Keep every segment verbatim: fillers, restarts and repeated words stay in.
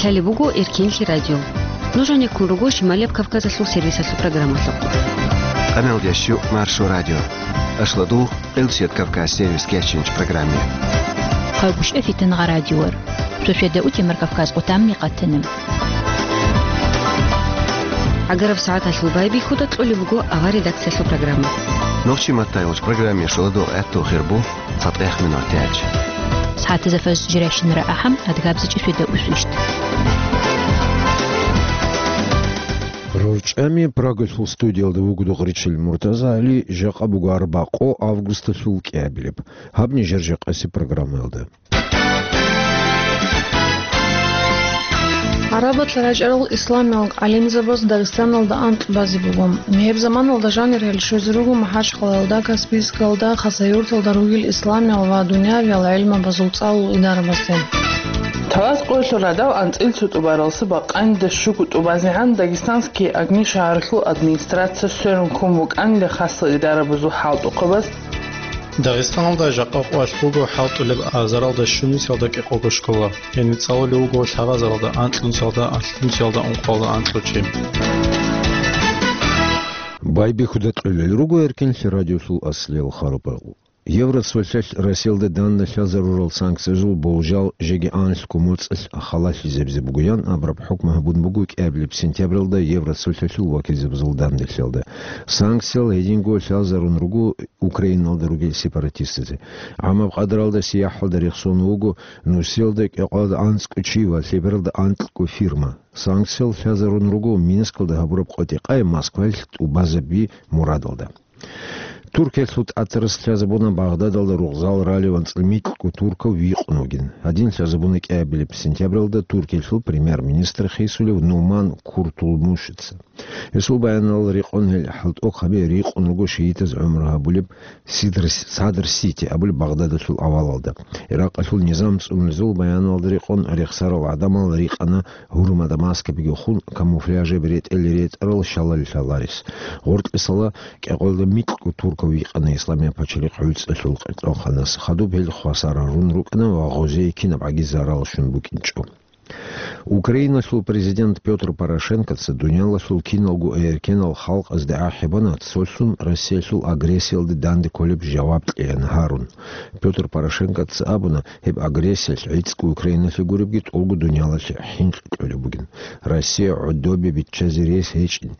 Гьале буго Эркинлъи радио. Нуж гьанеккун руго Шималияб Кавказалъул сервисалъул программалъухъ. Къамел ящу Маршо радио. Ашладу Къилсият Кавказ сервис кечинч программе. Хъайгъушев Фитангъа радиор. Цо шеда утемар Кавказ къутамми къатанем. Агараб сагӀаталъул байбихьуда кьолеб буго авар редакциялъул программа. Нохчи маттайгъуч программе шуладу гӀатту хирбу. Цадгъех минутач. СагӀатазда фажр жирайщинара ахӀам, адгабзичӀи шуйда усвищт. РорчӀами Прагалъул студиялда вуго Дугъричил Муртаза ГӀали, жакъа буго арбакъо августалъул кӀиабилеб. Гьаб нижер жакъаси программаялда. Гьарабат рачӀарал исламиял гӀалимзабаз Дагъистаналда анкь базе буго. Гьеб заманалда жанир гьел щвезе руго МахӀачхъалаялда, Каспийскалда, Хасавюрталда ругел исламиял ва дуниявиял гӀелмабазул цӀалул идарабазде. Талас къоялъул гӀадав анцӀил цо тӀубаралса бакъанилда щуго тӀубазегӀан Дагестанский Огни шагьаралъул администрация сверун ккун вукӀанила хасал идарабазул хӀалтӀухъабаз. Дагъистаналда жакъа къоялъ буго хӀалтӀулеб азаралда щунусиялда кӀикъого школа. Гьениб цӀалулев вуго лъабазаралда анкьнусиялда, алъунсиялда, ункъоялда анкьучи. Байбихьуда кьолел руго Эркинлъи радиолъул аслиял харбал. Евроцолъалъ Россиялда дандалъазарурал санкциязул болжал жеги анлъго моцӀалъ халалъизабизе бугоян абураб хӀукму гьабун буго кӀиабилеб сентябралда Евроцолъалъул вакилзабазул дандалъиялда. Санкциял гьединго лъазарун руго Украиналда ругел сепаратистазе. Гьамаб къадаралда сияхӀалда рехсон вуго нусиялда кӀикъоялда анцӀго чи ва лъебералда анкьго фирма. Санкциял лъазарун руго Минскалда гьабураб къотӀи-къай Москваялъ тӀубазаби мурадалда. Туркиялъул тӀатарас лъазабуна Багъдадалда ругъзал ралев анцӀила микьго туркав викъун вугин. Гьадин лъазабуна кӀиабилеб сентябралда Туркиялъул премьер-министр хисулев Нуман Куртулмушица. Гьесул баяналда рекъон гьел хӀалтӀухъаби рикъун руго шигьидаз гӀумру гьабулеб Сидр-, Садр-Сити абулеб Багъдадалъул авалалда. Иракъалъул низам цӀунулезул баяналда рекъон рехсарал гӀадамал рикъана гьурмада маскабиги хун, камуфляжаб ретӀел ретӀарал шалал лъаларес. Гъоркьисала кӀикъоялда микьго туркав викъана Исламияб пачалихъ гӀуцӀалъул къеркьанханас. Хадуб гьел хвасар гьарун рукӀана ва гъозие кинаб гӀаги зарал щун букӀинчӀо. Украиналъул президент Пётр Порошенкоца дуниялалъул киналго эркенал халкъазде ахӀи бана цолъун Россиялъул агрессиялде данде кколеб жаваб кьеян гьарун. Пётр Порошенкоца абуна, гьеб агрессиялъ гӀицӀго Украиналъе гуребги тӀолго дуниялалъе хӀинкъи кьолеб бугин. Россия гӀодобе биччазе рес гьечӀин.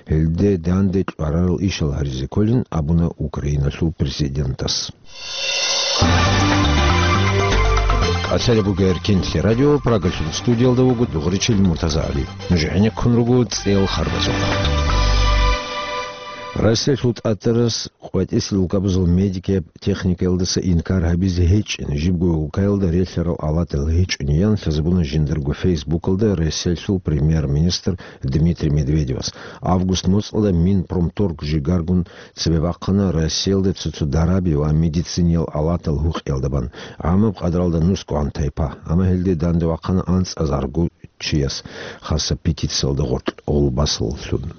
Гьелде данде кьварарал ишал гьаризе кколин абуна Украиналъул президентас. Калъалеб буго Эркинлъи радио, Прагалъул студиялда вуго Дугъричил Муртаза ГӀали. Нуж гӀенеккун руго цӀел харбазухъ. Россиялъул тӀатарас къватӀисел улкабазул медикияб техникаялдаса инкар гьабизе гьечӀин, жибго улкаялда релълъарал алатал гьечӀони ян лъазабуна жиндарго Фейсбукалда Россиялъул премьер-министр Дмитрий Медведевас. Август моцӀалда Минпромторг жигаргун цебе бахъана Россиялда цо-цо дараби ва медициниял алатал гьукъиялда бан, гӀамаб къадралда нусгогӀан тайпа, амма гьелде данде вахъана анцӀазарго чияс, хаса петициялда гъоркь гъолбасаллъун.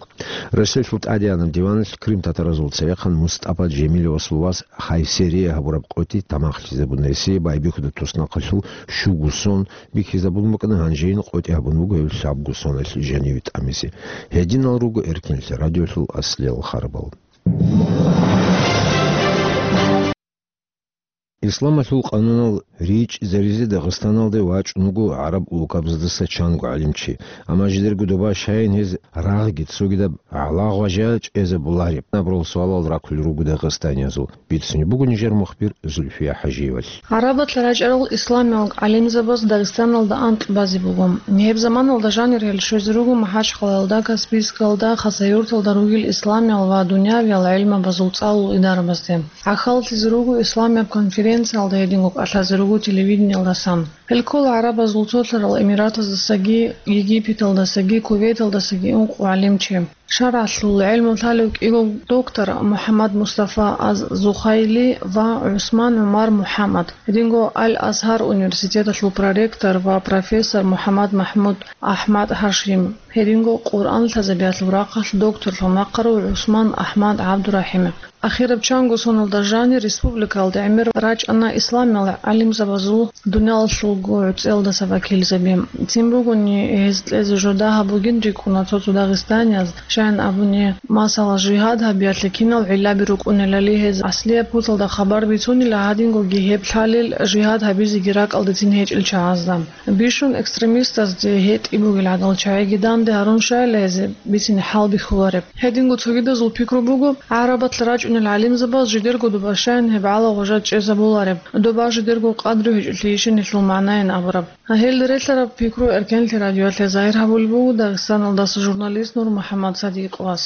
Россиялъул тӀадегӀанаб диваналъ крымтатаразул цевехъан МустӀапа Жемилевасул вас Хайсерие гьабураб къотӀи тамахлъизабуна. Гьесие байбихьуда туснахъалъул щуго сон бихьизабун букӀана, гьанжейин къотӀи гьабун буго гьев лъабго соналъ жаниве тӀамизе. Гьединал руго Эркинлъи радиолъул аслиял харбал. Исламалъул къанунал ричӀчӀизаризе Дагъистаналде вачӀун вуго гӀараб улкабаздаса чанго гӀалимчи, амма жидерго доба щайин гьез рагъги цогидаб гӀалагъважа чӀезабулареб абурал суалал раккулел руго дагъистаниязул. Бицунеб буго нижер мухбир Зульфия ХӀажиевалъ. Гьарабат рачӀарал исламиял гӀалимзабаз Дагъистаналда анкь базе буго. Гьеб заманалда жанир гьел щвезе руго МахӀачхъалаялда, Каспийскалда, Хасавюрталда ругел исламиял ва дуниявиял гӀелмабазул цӀалул идарабазде. ГӀахьаллъизе руго исламияб конференциялда, гьединго кӀалъазе руго телевидениялдасан. Гьел ккола ГӀарабазул Цолъарал Эмиратаздасаги, Египеталдасаги, Кувейталдасаги ункъо гӀалимчи. ШаргӀалъул гӀелму лъалев кӀиго доктор МухӀаммад Мустафа аз-Зухайли ва ГӀусман ГӀумар МухӀаммад, гьединго Аль-Азгьар университеталъул проректор ва профессор МухӀаммад МахӀмуд АхӀмад ХӀашим, гьединго Къуръан лъазабиялъул рахъалъ докторлъун вахъарав ГӀусман АхӀмад ГӀабдурахӀимов. Ахираб чанго соналда жанир республикалда гӀемер рачӀана исламиял гӀалимзабазул дуниялалъулго гӀуцӀиялдаса вакилзаби. Цин бугони гьез кьезе жо дагьаб бугин рикӀкӀуна цо-цо дагъистанияз, щайин абуни, масала, жигьад гьабиялъе кинал гӀиллаби рукӀунелали гьез аслияб путалда хабар бицунила, гьадингоги гьеб лъалел жигьад гьабизеги ракӀалдецин гьечӀел чагӀазда. Бищун экстремистазде гьетӀи бугел гӀадал чагӀиги данде гьарун щайила гьезе бицине хӀалбихьулареб. Гьединго цогидазул пикру буго, гӀарабалъ рачӀунел гӀалимзабаз жидерго доба щайин гьеб гӀала-гъужа чӀезабулареб, доба жидерго къадру гьечӀолъи ишин нилъул магӀнайин абураб. Гьел релълъараб пикру Эркенлъи радиоялъе загьир гьабулеб буго Дагъистаналдаса журналист НурмухӀаммад Садикъовас.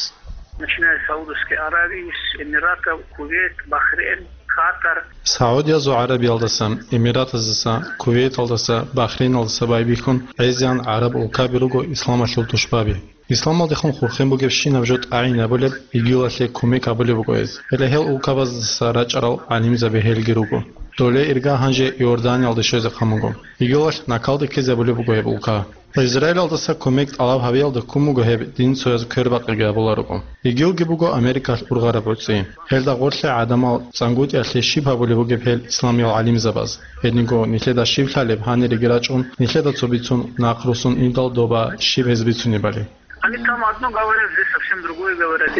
Начиная с Саудовской Аравии, с Эмиратов, Кувейт, Бахрейн, Катар. Саудиязул ГӀарабиялдаса, Эмиратаздаса, Кувейталдаса, Бахрейналдаса байбихьун, гӀезегӀан гӀараб улкаби руго исламалъул тушбаби. Исламалдехун хурхен бугебщинаб жо тӀагӀинабулеб, игилалъе кумек гьабулеб буго гьез. Гьеле гьел улкабаздаса рачӀарал гӀалимзаби гьелги руго. Доле ирга гьанже Иорданиялде щвезехъан буго. Игилалъ накалде ккезабулеб буго гьеб улка. Израилалдаса кумек тӀалаб гьабиялда ккун буго гьеб динцояз квербакъиги гьабуларого. Игилги буго Америкалъ ургъараб гӀуцӀи. Гьелда гъорлъе гӀадамал цӀангутӀиялъе щиб гьабулеб бугеб гьел исламиял гӀалимзабаз? Гьединго нилъеда щиб лъалеб гьанир иги рачӀун, нилъеда цо бицун нахъ руссун индал доба щиб гьез бицунебали? Они там одно говорят, здесь совсем другое говорят.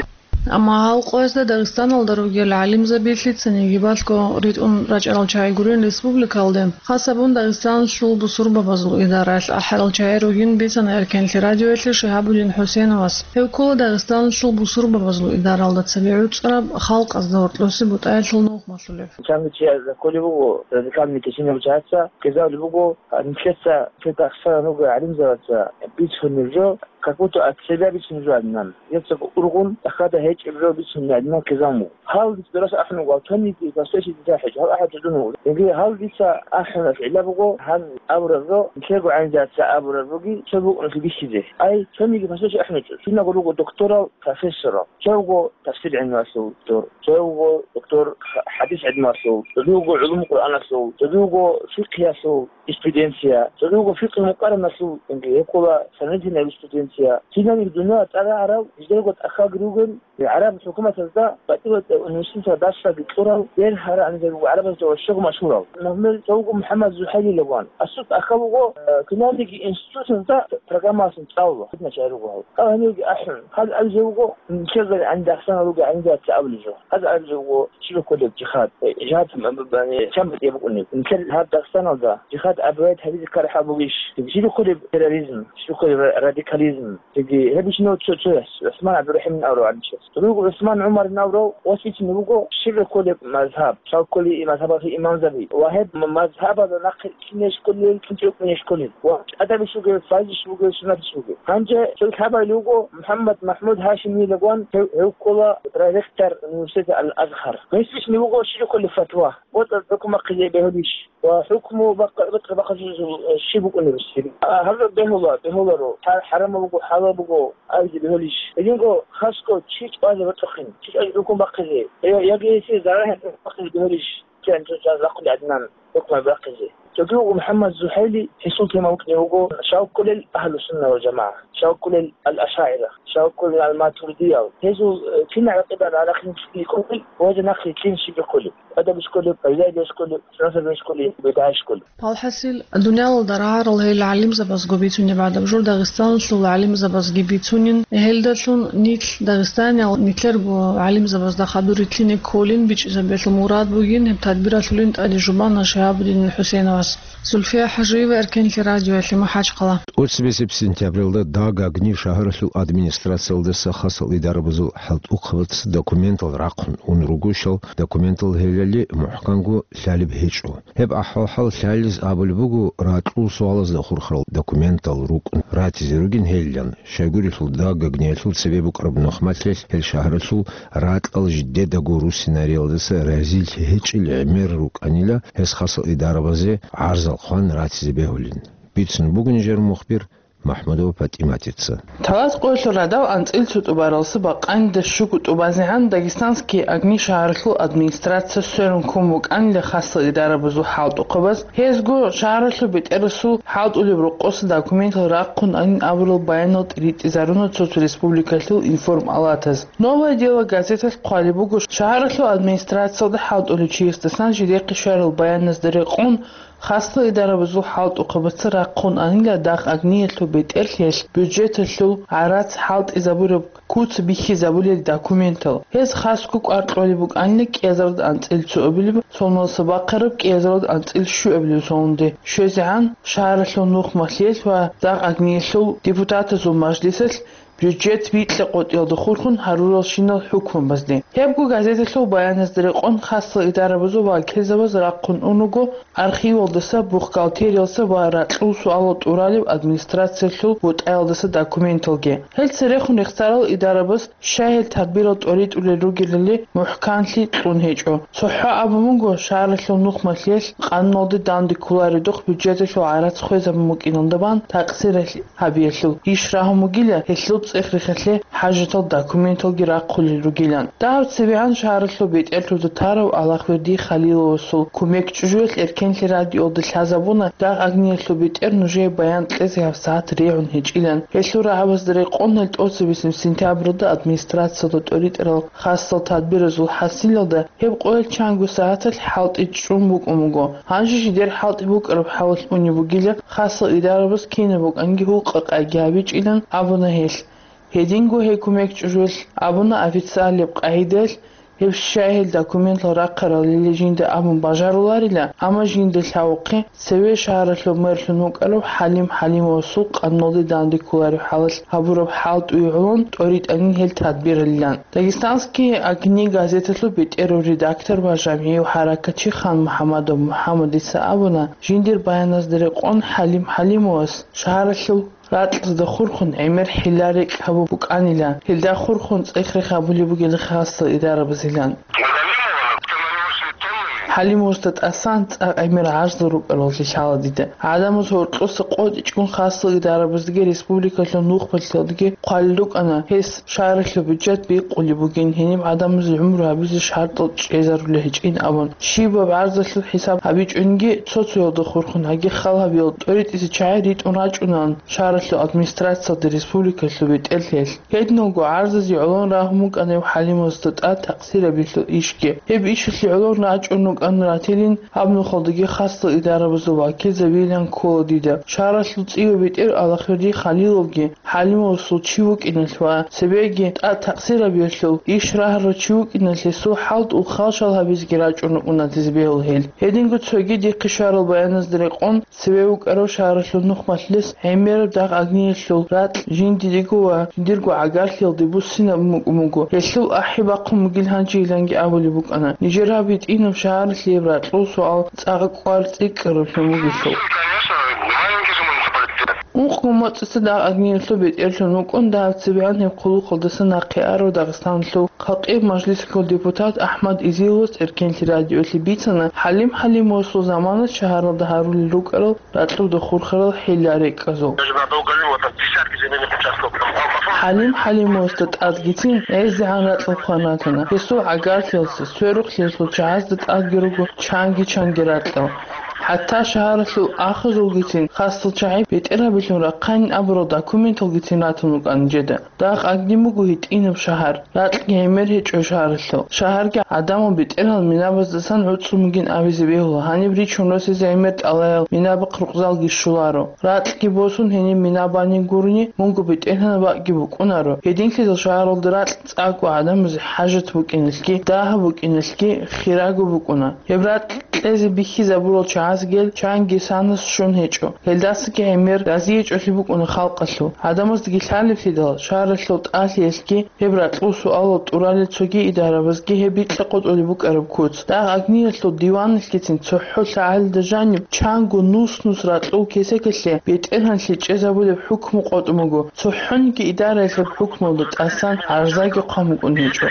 Амма гьал къоязда Дагъистаналда ругел гӀалимзабилъи цинги балъго ритӀун рачӀарал чагӀи гурин республикалде, хасабун Дагъистаналъул бусурбабазул идараялъ ахӀарал чагӀи ругин бицана Эркенлъи радиоялъе Шигьабудин ХӀусеновас. Гьев ккола Дагъистаналъул бусурбабазул идаралда цебе гӀуцӀараб халкъазда гьоркьосе бутӀаялъул нухмалъулев. Чанги чияс кколеб буго радикальный теченияб чагӀаца, ккезабулеб буго, нилъеца, нилъеда ахсаран руго гӀалимзабаца бицунеб жо, как будто от себя бицунеб жо гьадинан. Гьеб цо ургъун тӀахьазда гьечӀеб жо бицунеб гьадинан ккезабун буго. Гьал дица дурас ахӀун вуго, цониги пасдешлъи дица ахӀичӀо, гьал ахӀарав чи дун вуго. Яги гьал дица ахӀунас гӀилла буго, гьан абураб жо, нилъерго гӀалимзабаца абураб жоги цо букӀуналъе бихьизе. Ай, цониги пасдешлъи ахӀунчӀо, киналго руго докторал, профессорал, цо вуго тафсир гӀилмуялъул доктор, цо вуго доктор хадис гӀилмуялъул, цо вуго гӀулуму Къуръаналъул, цо вуго фикъгьиялъул юриспруденция, цо вуго фикъгьи мукъараналъул, гьеб ккола сравнительная юриспруденция. Кинабниги дуниял цӀар рагӀарал, жидерго тӀахьалги ругел, гӀараб хӀукуматазда батӀи-батӀи университеталда дарсалги кьурал, бер гьарагӀанизаби буго гӀарабазда ва щуго машгьурал. Например, цо вуго МухӀаммад Зухайли лагъван. Асул тӀахьал вуго, э, кинабниги институтазда программалъун цӀалула, гьединал чагӀи руго гьал. Гьал гьанивги ахӀун, гьал абизе вуго, нилъер гӀалимзабаца ругел гӀалимзабаца абулеб жо. Гьаз абизе вуго, щиб кколеб жихад, э, жихад м-, м-, м-, чан батӀияб букӀунеб. Нилъер гьаб Дагъистаналда жихад абураб гьабизе ккараб бугищ? Щиб кколеб терроризм, щиб кколеб ра-, радикализм? Цоги гьеб ишинав цо-, цояс, ГӀусман ГӀабдурахӀимин абурав гӀалимчияс. Цо вуго ГӀусман ГӀумарин абурав, ва щиб кколеб мазгьаб, щал кколи и мазгьабалъул имамзаби, ва гьеб м-, мазгьабазда нахъе кинеш кколел, кинчӀев ккунеш кколел, ва тӀадабищ вугев, фарзищ вугев, суннатищ вугев. Гьанже цо лъабабилеб буго МухӀаммад МахӀмуд ХӀашимилагъван, гьев, гьев ккола проректор университета Аль-Азгьар. Гьесдалъун вуго щиб кколеб фатва, бокьа бахъизе бегьулищ ва хӀукму бакъ-, бокьа бахъизул щиб букӀунеб гьесие? А, гьаб бегьула, бегьуларо, хӀа-, хӀарамаб буго, хӀалал буго абизе бегьулищ? Гьединго хасго чи чӀвазе бокьухъин, чи чӀвазе хӀукму бахъизе, я-, яги гьесие зарал бахъизе бегьулищ? Кин цо чӀвазе бахъулеб гӀадинан хӀукму бахъизе. Цоги вуго МухӀаммад Зухайли, гьесул тема букӀине вуго, щал кколел Агьлу-Сунна ва ЖамагӀа, щал кколел Ал-Ашагьира, щал кколел Ал-Матуридиял. Гьезул, э, кинаб гӀакъида рахъин кколел, ва гьезда нахъе кин щиб кколеб? ТӀадабищ кколеб, гӀибадатищ кколеб, суннатабищ кколеб, бидгӀайищ кколеб? Палхасил, дуниялалда рагӀарал гьел гӀалимзабазго бицунеб гӀадаб жо Дагъистаналъул гӀалимзабазги бицунин, гьелдалъун нилъ, дагъистаниял, нилъерго гӀалимзабазда хадур рилълъине кколин бичӀчӀизабиялъул мурад бугин гьеб тадбиралъулин тӀаде жубана Шигьабудин ХӀусеновас. Зульфия ХӀажиева, Эркенлъи радиоялъе, МахӀачхъала. ТӀоцебесеб сентябралда Дагагни шагьаралъул администрациялдаса хасал идарабазул хӀалтӀухъабац документал рахъун ун ругощал, документал гьелали мухӀканго лъалеб гьечӀо. Гьеб ахӀвал-хӀал лъализ абулеб буго ракьул суалазда хурхарал документал рукӀун ратизе ругин гьелилан, щайгурелъул Дагагниялъул цебе букӀараб нухмалъилъ гьел шагьаралъул ракьал жидедаго руссинариялдаса разилъи гьечӀел гӀемер рукӀанила гьес хасал идарабазе гӀарзал хъван ратизе бегьулин. Бицун буго нижер мухбир МахӀмудова ПатӀиматица. Талас къоялъул радал анцӀил цо тӀубаралса бакъанидас щуго тӀубазегӀан Дагестанский огни шагьаралъул администрация сверун ккун букӀанила хасал идарабазул хӀалтӀухъабаз. Гьезго шагьаралъул бетӀерасул хӀалтӀулеб рокъоса документал рахъун анин абурал баянал тӀиритӀизаруна цо-цо республикалъул информалатаз. «Новое дело» газеталъ хъвалеб буго, шагьаралъул администрациялда хӀалтӀулев чиясдасан жидехъе щварал баяназда рекъон, хасал идарабазул хӀалтӀухъабаца рахъун анила дагъ огниялъул бетӀерлъиялъ бюджеталъул гӀарац хӀалтӀизабураб куц бихьизабулел документал. Гьез хасго кӀвар кьолеб букӀанила кӀиазарда анцӀил цо абилеб соналса бахъараб кӀиазарда анцӀил щуабилеб сонде щвезегӀан шагьаралъул нухмалъиялъ ва дагъ огниялъул депутатазул мажлисалъ бюджет бикьа-къотӀиялда хурхун гьаруралщинал хӀукмабазде. Гьебго газеталъул баяназда рекъон хасал идарабазул вакилзабаз рахъун унаго архивалдаса, бухгалтериялса ва ракьул суалал тӀуралеб администрациялъул бутӀаялдаса документалги. Гьел церехун рехсарал идарабаз щай гьел тадбирал тӀоритӀулел ругелали мухӀканлъи кьун гьечӀо. ЦохӀо абун буго, шагьаралъул нухмалъиялъ къануналде данде кколаредухъ бюджеталъул гӀарац хвезабун букӀиналда бан такъсиралъ гьабиялъул иш рагьун бугила, гьелъул цӀех-рехалъе хӀажатал документалги рахъулел ругилан. Дагьаб цебегӀан шагьаралъул бетӀерлъуда тарав Аллагьверди Халиловасул кумек чӀужуялъ Эркенлъи радиоялда лъазабуна, дагъ огниялъул бетӀер нужее баян кьезе гьабсагӀат регӀун гьечӀилан. Гьелъул рагӀабазда рекъон гьел тӀоцебесеб сентябралда администрациялда тӀоритӀарал хасал тадбиразул хӀасилалда гьеб къоялъ чанго сагӀаталъ хӀалтӀи чӀун букӀун буго. Гьанже жидер хӀалтӀи букӀараб хӀалалъ унеб бугила, хасал идарабаз кинаб букӀанги гьукъа-къайги гьабичӀилан абуна гьелъ. Гьединго гьей кумек чӀужуялъ абуна официалияб къагӀидаялъ гьеб щай гьел документал рахъаралили жинда абун бажаруларила, амма жинда лъавухъе цеве шагьаралъул мэрлъун вукӀарав ХӀалим ХӀалимовасул къануналде данде кколареб хӀалалъ гьабураб хӀалтӀуе гӀолон тӀоритӀанин гьел тадбиралилан. Дагестанские огни газеталъул бетӀерав редактор ва жамгӀияв хӀаракатчи Хан МухӀамадов МухӀамадица абуна, жиндир баяназда рекъон ХӀалим ХӀалимовас шагьаралъул ракьазда хурхун гӀемер хӀилла-рекӀкӀ гьабун букӀанила, гьелда хурхун цӀех-рех гьабулеб бугел хасал идарабазилан. ХӀалимовасда тӀасан цӀакъ гӀемер гӀажзал рукӀараллъи лъала дида. ГӀадамаз гьоркьоса къотӀичӀгун хасал идарабаздаги республикалъул нухмалъиялдаги хъвалел рукӀана, гьес шагьаралъул бюджет бикъулеб бугин, гьениб гӀадамазе гӀумру гьабизе шартӀал чӀезарулел гьечӀин абун. Щибаб гӀарзалъул хӀисаб гьабичӀониги цо-цоялда хурхун гьаги хал гьабиял тӀоритӀизе чагӀи ритӀун рачӀунаан шагьаралъул администрациялда республикалъул бетӀерлъиялъ. Гьединго гӀарзазе гӀолон рагьун букӀана ХӀалимовасда тӀад такъсирабилъул ишги. Гьеб ишалъе гӀолон рачӀун рукӀана ратилин, гьаб нухалдаги хасал идарабазул вакилзабилан ккола дида. Шагьаралъул цӀийо бетӀер Аллагьверди Халиловги, ХӀалимовасул чи вукӀиналъ ва цебеги тӀад такъсирабиялъул иш рагьарав чи вукӀиналъ гьесул хӀалтӀул халшал гьабизеги рачӀун рукӀуна дезбегьул гьел. Гьединго цоги дихъе щварал баяназда рекъон, цеве вукӀарав шагьаралъул нухмалъилес гӀемераб дагъ агниялъул ракь жиндиего ва жиндирго гӀагарлъиялде буссинаб мукӀун буго. Гьелъул ахӀи бахъун бугил гьанжейиланги абулеб букӀана. Нижер гьаб гьитӀинаб шагьаралъияб ракьул суал цӀакъ кӀвар цӀикӀкӀараблъун бугелъул. Ункъго моцӀица дагъ агниялъул бетӀерлъун вукӀун, дагьаб цебегӀан гьеб хъулухъалдаса нахъе арав Дагъистаналъул халкъияб мажлисалъул депутат АхӀмад Изиловас Эркенлъи радиоялъе бицана, ХӀалим ХӀалимовасул заманалъ шагьаралда гьарулел рукӀарал ракьуда хурхарал хӀилла-рекӀкӀазул. ХӀалим ХӀалимовасда тӀадгицин гӀезегӀан ракьал хъван ратана. Гьесул гӀагарлъиялъе, сверухълъиялъул чагӀазда тӀадги руго чанги-чанги ракьал. ХӀатта шагьаралъул ахазулгицин хасал чагӀи бетӀергьабилъун рахъанин абурал документалгицин ратун рукӀана нижеда. Дагъ агни буго гьитӀинаб шагьар, ракьги гӀемер гьечӀо шагьаралъул. Шагьарги гӀадамал бетӀергьан минабаздасан гӀуцӀцӀун бугин абизе бегьула, гьаниб ричун росизе гӀемер тӀалаял минабахъ рукъзалги щоларо. Ракьги босун гьениб мина бани гурони, мунго бетӀергьанаб бакӀги букӀунаро. Гьединлъидал шагьаралда ракь цӀакъго гӀадамазе хӀажат букӀиналъги, дагьаб букӀиналъги хирагу букӀуна. Гьеб ракь кьезе бихьизабурал чагӀазги гьел чанги санас щун гьечӀо. Гьелдасаги гӀемер разиячӀолъи букӀуна халкъалъул. ГӀадамаздаги лъалеблъидал, шагьаралъул тӀалъиялъги гьеб ракьул суалал тӀуралел цоги идарабазги гьеб бикьа-къотӀулеб букӀараб куц. Дагъ агниялъул диваналъгицин цохӀо лъагӀалида жаниб чанго нус-нус ракьул кесекалъе бетӀергьанлъи чӀезабулеб хӀукму къотӀун буго, цохӀониги идараялъул хӀукмуялда тӀасан гӀарзаги хъван букӀун гьечӀо.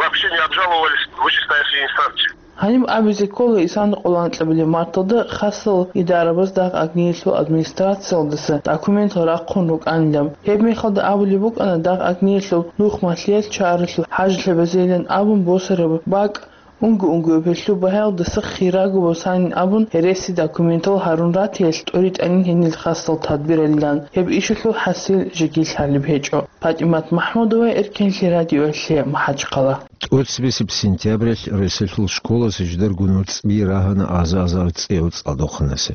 Вообще не обжаловывались вышестоящие инстанции. Гьаниб абизе ккола исана къоло анкьабилеб марталда хасал идарабаз дагъ-агниялъул администрациялдаса документал рахъун рукӀанилан. Гьеб мехалда абулеб букӀана дагъ-агниялъул нух малъиялъ чаралъул хӀажлъабазейилан абун босараб бакӀ, унго-унгояб гьелъул багьаялдаса хирагу босанин абун, гьереси документал гьарун ратиялъ тӀуритӀанин гьенил хасал тадбиралилан. Гьеб ишалъул хӀасил жеги лъалеб гьечӀо. ПатӀимат МахӀмудова, Эркенлъи радиоялъе, МахӀачхъала. ТӀоцебесеб сентябрялъ Росиялъул школазе жидер гунур цӀби рагьана аза-азар цӀияв цӀалдохъанасе.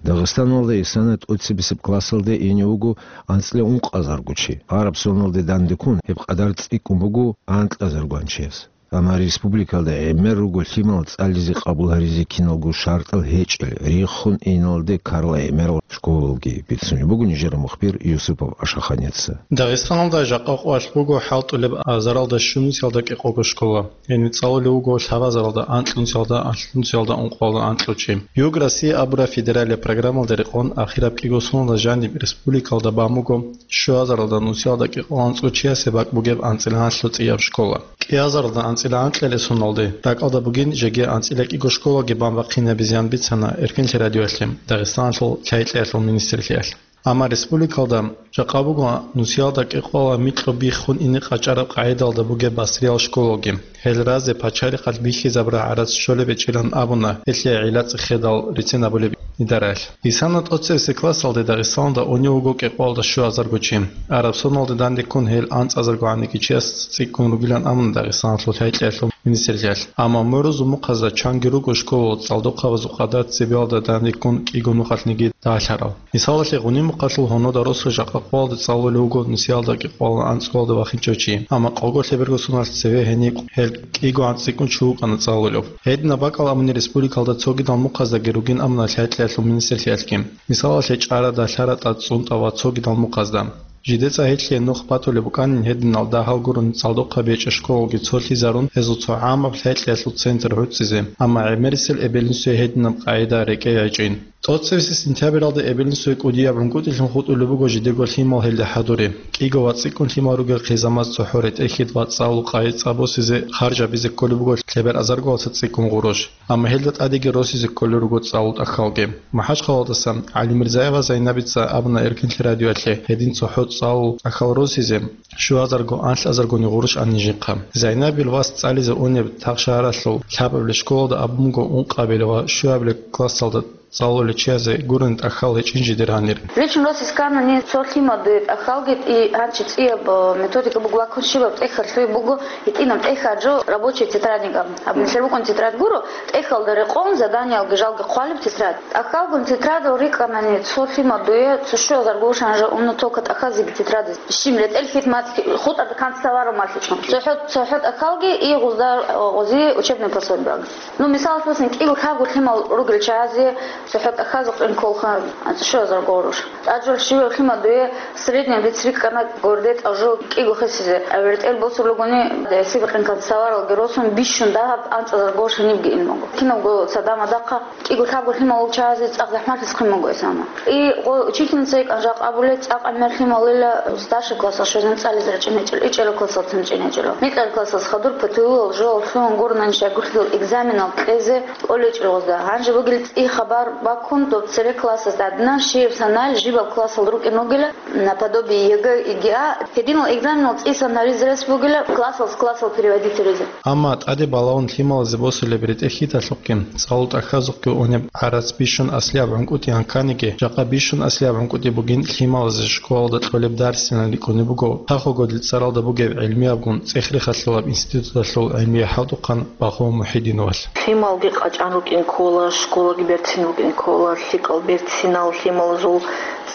Дагъистаналда исана тӀоцебесеб классалде ине вуго анцӀила ункъазарго чи. Гьараб соналде дандеккун гьеб къадар цӀикӀкӀун буго анкьазаргоан чияс. Амма республикалда гӀемер руго лъимал цӀализе къабул гьаризе киналго шартӀал гьечӀел, риххун иналде ккарал гӀемерал школалги, бицунеб буго нижер мухбир Юсупов Ашаханица. Дагъистаналда жакъа къоялъ буго хӀалтӀулеб азаралда щунусиялда кӀикъого школа. Гьениб цӀалулев вуго лъабазаралда анкьнусиялда, анлънусиялда ункъоялда анкьучи. Юг Россия абураб федералияб программалда рекъон ахираб кӀиго соналда жаниб республикалда бан буго щуазаралда нусиялда кӀикъоялда анцӀго чиясе бакӀ бугеб анцӀила гьанлъго цӀияб школа. КӀиазаралда анцӀила анкьалесуналде ракӀалда бугин жеги анцӀила кӀиго школаги бан бахъинабизеян бицана Эркенлъи радиоялъе Дагъистаналъул лъайкьиялъул министрлъиялъ. Амма республикалда жакъа буго нусиялда кӀикъоялда микьго биххун ине къачӀараб къагӀидалда бугеб басриял школаги. Гьел разе пачарихъалъ бихьизабураб гӀарац щолеб гьечӀилан абуна гьелъие гӀилла-цӀехедал рецин абулеб идараялъ. Исана тӀоцебесеб классалде Дагъистаналда унев вуго кӀикъоялда щуазарго чи. Араб соналде дандеккун гьел анцӀазарго гӀаниги чияс цӀикӀкӀун ругилан абуна Дагъистаналъул лъайкьиялъул министрлъиялъ. Амма мурузул мухъазда чанги руго школалъул цӀалдохъабазул къадар цебиялда дандеккун кӀиго нухалъниги дагьлъарал. Мисалалъе, Гъунимухъалъул гьунода росу жакъа къоялда цӀалулев вуго нусиялда кӀикъоялда анцӀкӀоялда вахинчӀев чи, амма къого лъеберго соналъ цеве гьениб гьел кӀиго анцӀикӀун чи вукӀана цӀалулев. Гьединаб бакӀал абуни республикалда цогидал мухъаздаги ругин абуна лъайкьиялъул министрлъиялъги. Мисалалъе, ЧӀара, ДалъаратӀа, ЦӀунтӀа ва цогидал мухъазда. ЖидецӀа гьелъие нух батулеб букӀанин гьединал дагьал гурони цӀалдохъаби гьечӀеб школалги цолъизарун, гьезул цо гӀамаб лъайкьиялъул центр гӀуцӀизе, амма гӀемерисел эбел-инсуе гьединаб къагӀида рекӀей гьечӀин. ТӀоцебесеб сентябралда эбел-инсуе кӀудияб гӀункӀутӀилъун хутӀулеб буго жидего лъимал гьелда хӀадури. КӀиго ва цӀикӀкӀун лъимал ругел хъизамаз цохӀо ретӀел-хьид ва цӀалул къагӀи цӀа босизе харжабизе кколеб буго лъебераб азарго цӀикӀкӀун гъурущ. Амма гьелда тӀадеги росизе кколел руго цӀалул тӀахьалги. МахӀачхъалаялдаса ГӀалимирзаева Зайнабица абуна Эркинлъи радиоялъе гьедин цохӀо цӀалул тӀахьал росизе щуазарго-анлъазаргони гъурущ анин жинхъа. Зайнабил вас цӀализе унеб Тахшагьаралъул лъабабилеб школалда абун буго ункъабилеб ва щуабилеб классалда цӀалулел чиязе гурони тӀахьал гьечӀин жидер гьанир. Лично росизе кканани цо лъимал дуе тӀахьалги и гьанчи цӀияб, э, методика буго ва ккун щибаб тӀехьалъуй буго, гьитӀинаб тӀехь гьанжо рабочий тетрадник абун. Аб нилъер букӀун тетрадь гуро, тӀехьалда рекъон заданиялги жалги хъвалеб тетрадь. ТӀахьалгун тетрадал рикӀкӀанани цо лъимал дуе цо щуазарго гъурущ анжа унна только тӀахьазеги тетрадиз. Щиб ретӀел-хьид мацӀ хутӀарда канцтоварал малъичӀо. ЦохӀо, цохӀо тӀахьалги и гъузда, э, гъузи учебный пособиялги. Ну, мисалалъе босани, кӀиго-лъабго лъимал ругел чагӀазе цохӀо тӀахьазухъе кколха щуазарго гъурущ. ТӀаде жо щибаб лъимал дуе средняя дица рикӀкӀана гурде тӀажул кӀиго хисизе. АбертӀел босулеб бугони, гьесие бикьин канцтоваралги росун, бищун дагьаб анцӀазарго гъурущ гьенибги ин буго. Кинабго цадахъ-мадахъ кӀиго-лъабго лъимал чагӀазе цӀакъ захӀмалъи хъван буго гьесана. И гъо-, учительница йикӀан жакъа абулеб, цӀакъ гӀемер лъималила старший классалъ щвезегӀан цӀализе рачӀинчӀел, ичӀелал классалцин рачӀинчӀел. Микьараб классалъ хадур ПТУ-ял жоялъ лъугьун гурони щайгурлъул экзаменал кьезе кӀолечӀел гъозда. Гьанже бугел цӀи хабар баккун доб церек классалъ гӀадин, щибаб санал жибаб классалда рукӀин ругила, наподобие ЕГЭ, ЕГЭа, гьединал экзаменал цӀисан гьаризе рес бугила классалъ классалъ переводить гьаризе. Амма тӀаде балагьун лъималазе босулеб ретӀел-хьидалъухъги, цӀалул тӀахьазухъги унеб гӀарац бищун аслияб гӀункӀутӀи анканиги, жакъа бищун аслияб гӀункӀутӀи бугин лъималазе школалда кьолеб дарсилан рикӀкӀунеб буго, тахугодил цӀаралда бугеб гӀилмиябгун ЦӀехрехалъулаб институталъул гӀилмияв хӀалтӀухъан Багъов Мухьидиновалъ. Лъималги къачӀан рукӀин ккола, школаги берцин рукӀин ккола, лъикӀал берцинал лъималазул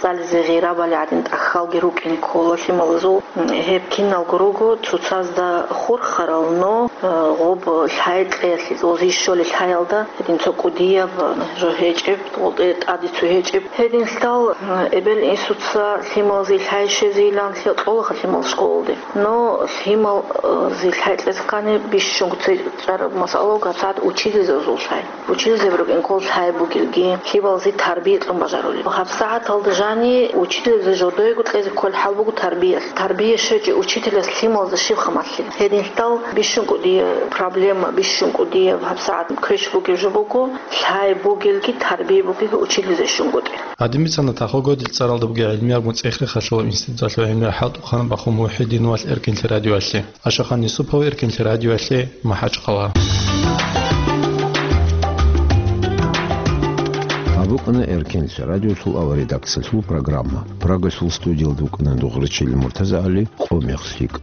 цӀализе гъирабали гӀадин тӀахьалги рукӀин ккола лъималазул. Гьеб киналго руго цоцазда хурхарал, но, э, гъоб лъай кьеялъе, гъози щолел лъаялда, гьедин цо кӀудияб, э, жо гьечӀеб, гъолтӀе тӀаде цо гьечӀеб. Гьединлъидал, э, эбел-инсуца лъималазе лъай щвезейилан лъе-, кьолаха лъимал школалде. Но лъимал, э, зе лъай кьезе ккани бищунго цечӀараб масъала буго гьабсагӀат учительзабазул лъай. Учительзаби рукӀин ккола лъай бугелги, лъималазе тарбия кьун бажарулел. ГьабсагӀаталда жани учительзаби жодойго кьезе кколеб хӀал буго тарбиялъ. Тарбия щвечӀеб учителас лъималазда щибха малъила. Гьединлъидал бищунго Дие проблема бищунго, дие гьабсагӀат квеш бугеб жо буго, лъай бугелги, тарбия бугелги училизе щунгутӀи. Гьадин бицана Тахо Годил цӀаралда бугеб гӀилмияб муцӀихърихъалъул институталъул гӀемер хӀалтӀухъан Бахъун МухӀидиновалъ Эркинлъи радиоялъе. Ашахан Юсупов, Эркинлъи радиоялъе, МахӀачхъала. Гьаб букӀана Эркинлъи радиолъул авария редакциялъул программа. Прагасул студиялда вукӀана Дугърачил МуртазагӀали, «Къо мех лъикӀ».